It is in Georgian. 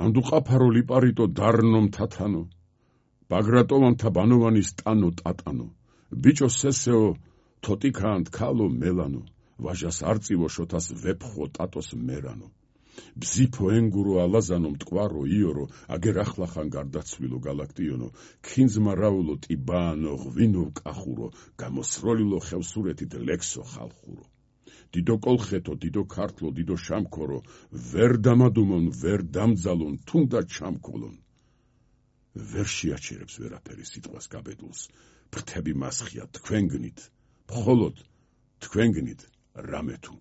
ანდუ ყაფარო ლიპარიტო დარნო მთათანო, ბაგრატოვანთა ბანოვანის ტანო ტატანო, ბიჭო სესეო თოტიკანთ ქალო მელანო, ვაჟას არწივო შოთას ვეფხო ტატოს მერანო. ბზიფო ენგურო ალაზანო მტკვარო იორო, აგერ ახლახან გარდაცვილო გალაქტიონო, ქინძმა რაულო ტიბანო ღვინო კახურო, გამოსროლილო ხევსურეთით ლექსო ხალხურო. დიდო კოლხეთო, დიდო ქართლო, დიდო შამქორო, ვერ დამადუმონ, ვერ დამძალონ, თუნდაც ჩამქოლონ. ვერ შეაჩერებს ვერაფერი სიტყვას გაბედულს, ფრთები მასხია თქვენ გნით, მხოლოდ თქვენ გნით რამე თუ.